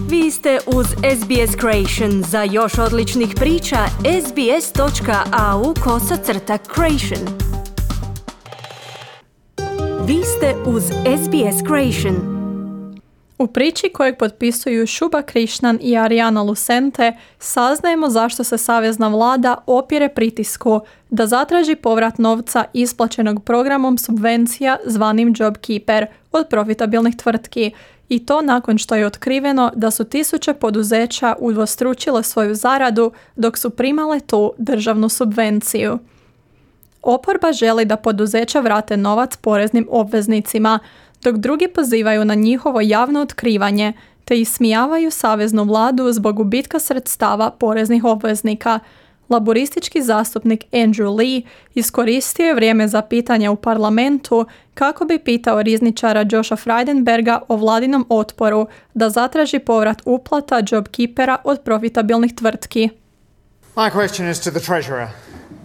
Vi ste uz SBS Creation. Za još odličnih priča, sbs.au/creation. Vi ste uz SBS Creation. U priči kojeg potpisuju Shubha Krishnan i Ariana Lucente saznajemo zašto se savezna vlada opire pritisku da zatraži povrat novca isplaćenog programom subvencija zvanim JobKeeper od profitabilnih tvrtki, i to nakon što je otkriveno da su tisuće poduzeća udvostručile svoju zaradu dok su primale tu državnu subvenciju. Oporba želi da poduzeća vrate novac poreznim obveznicima, dok drugi pozivaju na njihovo javno otkrivanje te ismijavaju saveznu vladu zbog gubitka sredstava poreznih obveznika. Laboristički zastupnik Andrew Lee iskoristio je vrijeme za pitanje u parlamentu kako bi pitao rizničara Josha Frydenberga o vladinom otporu da zatraži povrat uplata JobKeepera od profitabilnih tvrtki. My question is to the Treasurer.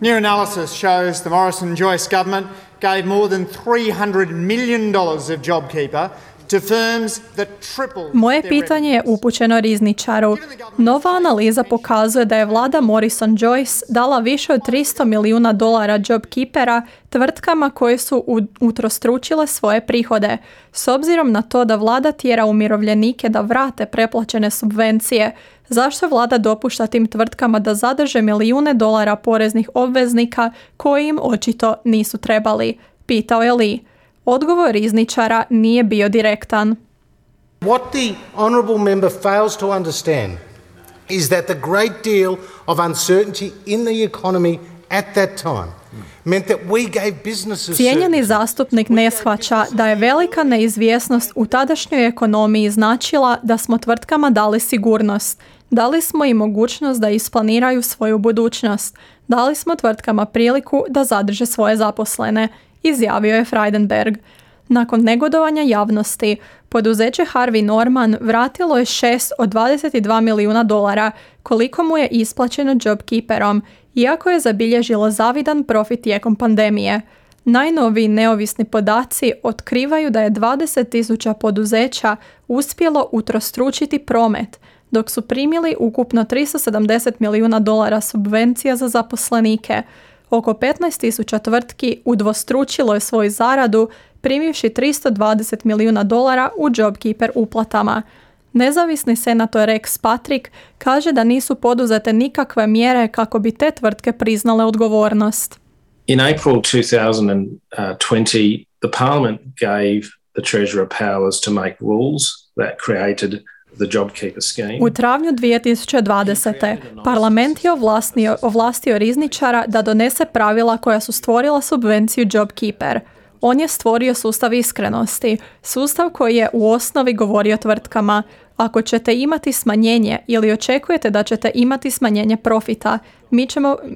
New analysis shows the Morrison-Joyce government gave more than $300 million of JobKeeper to firms that tripled. Moje pitanje je upućeno rizničaru. Nova analiza pokazuje da je vlada Morrison-Joyce dala više od $300 milijuna JobKeepera tvrtkama koje su utrostručile svoje prihode. S obzirom na to da vlada tjera umirovljenike da vrate preplaćene subvencije, zašto vlada dopušta tim tvrtkama da zadrže milijune dolara poreznih obveznika koji im očito nisu trebali? Pitao je Lee. Odgovor rizničara nije bio direktan. What the honourable member fails to understand is that the great deal of uncertainty in the economy at that time meant that we gave businesses. Cijenjeni zastupnik ne shvaća da je velika neizvjesnost u tadašnjoj ekonomiji značila da smo tvrtkama dali sigurnost. Dali smo im mogućnost da isplaniraju svoju budućnost. Dali smo tvrtkama priliku da zadrže svoje zaposlene, izjavio je Frydenberg. Nakon negodovanja javnosti, poduzeće Harvey Norman vratilo je 6 od $22 milijuna, koliko mu je isplaćeno JobKeeperom, iako je zabilježilo zavidan profit tijekom pandemije. Najnoviji neovisni podaci otkrivaju da je 20,000 poduzeća uspjelo utrostručiti promet, dok su primili ukupno $370 milijuna subvencija za zaposlenike. Oko 15,000 tvrtki udvostručilo je svoju zaradu, primivši $320 milijuna u JobKeeper uplatama. Nezavisni senator Rex Patrick kaže da nisu poduzete nikakve mjere kako bi te tvrtke priznale odgovornost. In April 2020, the Parliament gave the Treasurer powers to make rules that created the JobKeeper scheme. U travnju 2020. Parlament je ovlastio rizničara da donese pravila koja su stvorila subvenciju JobKeeper. On je stvorio sustav iskrenosti, sustav koji je u osnovi govorio tvrtkama: ako ćete imati smanjenje ili očekujete da ćete imati smanjenje profita,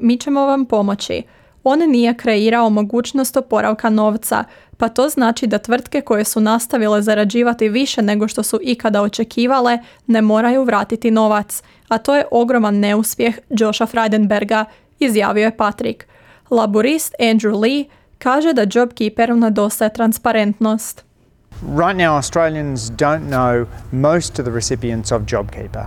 mi ćemo vam pomoći. On nije kreirao mogućnost oporavka novca, pa to znači da tvrtke koje su nastavile zarađivati više nego što su ikada očekivale ne moraju vratiti novac, a to je ogroman neuspjeh Josha Frydenberga, izjavio je Patrick. Laborist Andrew Lee kaže da JobKeeperu nedostaje transparentnost. Right now Australians don't know most of the recipients of JobKeeper.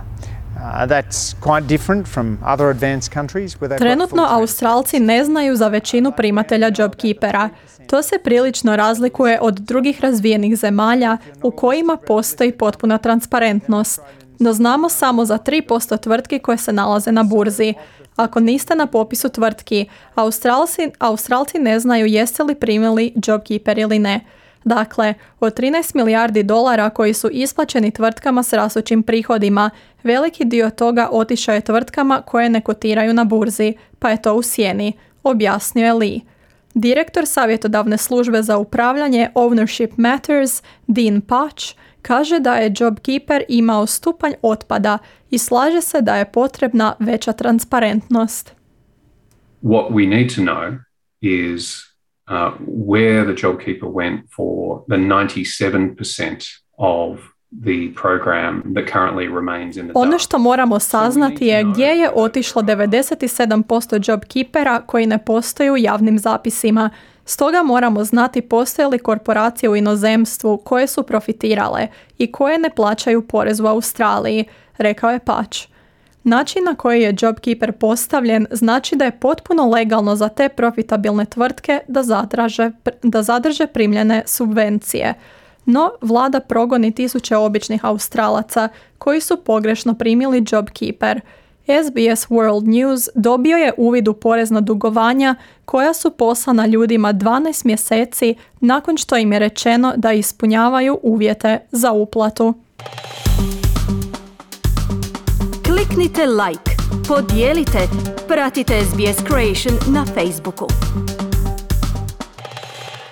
That's quite different from other advanced countries where they've Trenutno Australci ne znaju za većinu primatelja JobKeepera. To se prilično razlikuje od drugih razvijenih zemalja u kojima postoji potpuna transparentnost. No znamo samo za 3% tvrtki koje se nalaze na burzi. Ako niste na popisu tvrtki, Australci ne znaju jeste li primili JobKeeper ili ne. Dakle, od $13 milijardi koji su isplaćeni tvrtkama s rastućim prihodima, veliki dio toga otišao je tvrtkama koje ne kotiraju na burzi, pa je to u sjeni, objasnio je Lee. Direktor savjetodavne službe za upravljanje Ownership Matters, Dean Patch, kaže da je JobKeeper imao stupanj otpada i slaže se da je potrebna veća transparentnost. What we need to know is where the JobKeeper went for the 97% of the program that currently remains in the Ono dark. što moramo saznati je gdje je otišlo 97% JobKeepera koji ne postoji u javnim zapisima. Stoga moramo znati postoje li korporacije u inozemstvu koje su profitirale i koje ne plaćaju porez u Australiji, rekao je Patch. Način na koji je JobKeeper postavljen znači da je potpuno legalno za te profitabilne tvrtke da zadrže primljene subvencije. No, vlada progoni tisuće običnih Australaca koji su pogrešno primili JobKeeper. SBS World News dobio je uvid u porezna dugovanja koja su poslana ljudima 12 mjeseci nakon što im je rečeno da ispunjavaju uvjete za uplatu. Kliknite like, podijelite, pratite SBS Creation na Facebooku.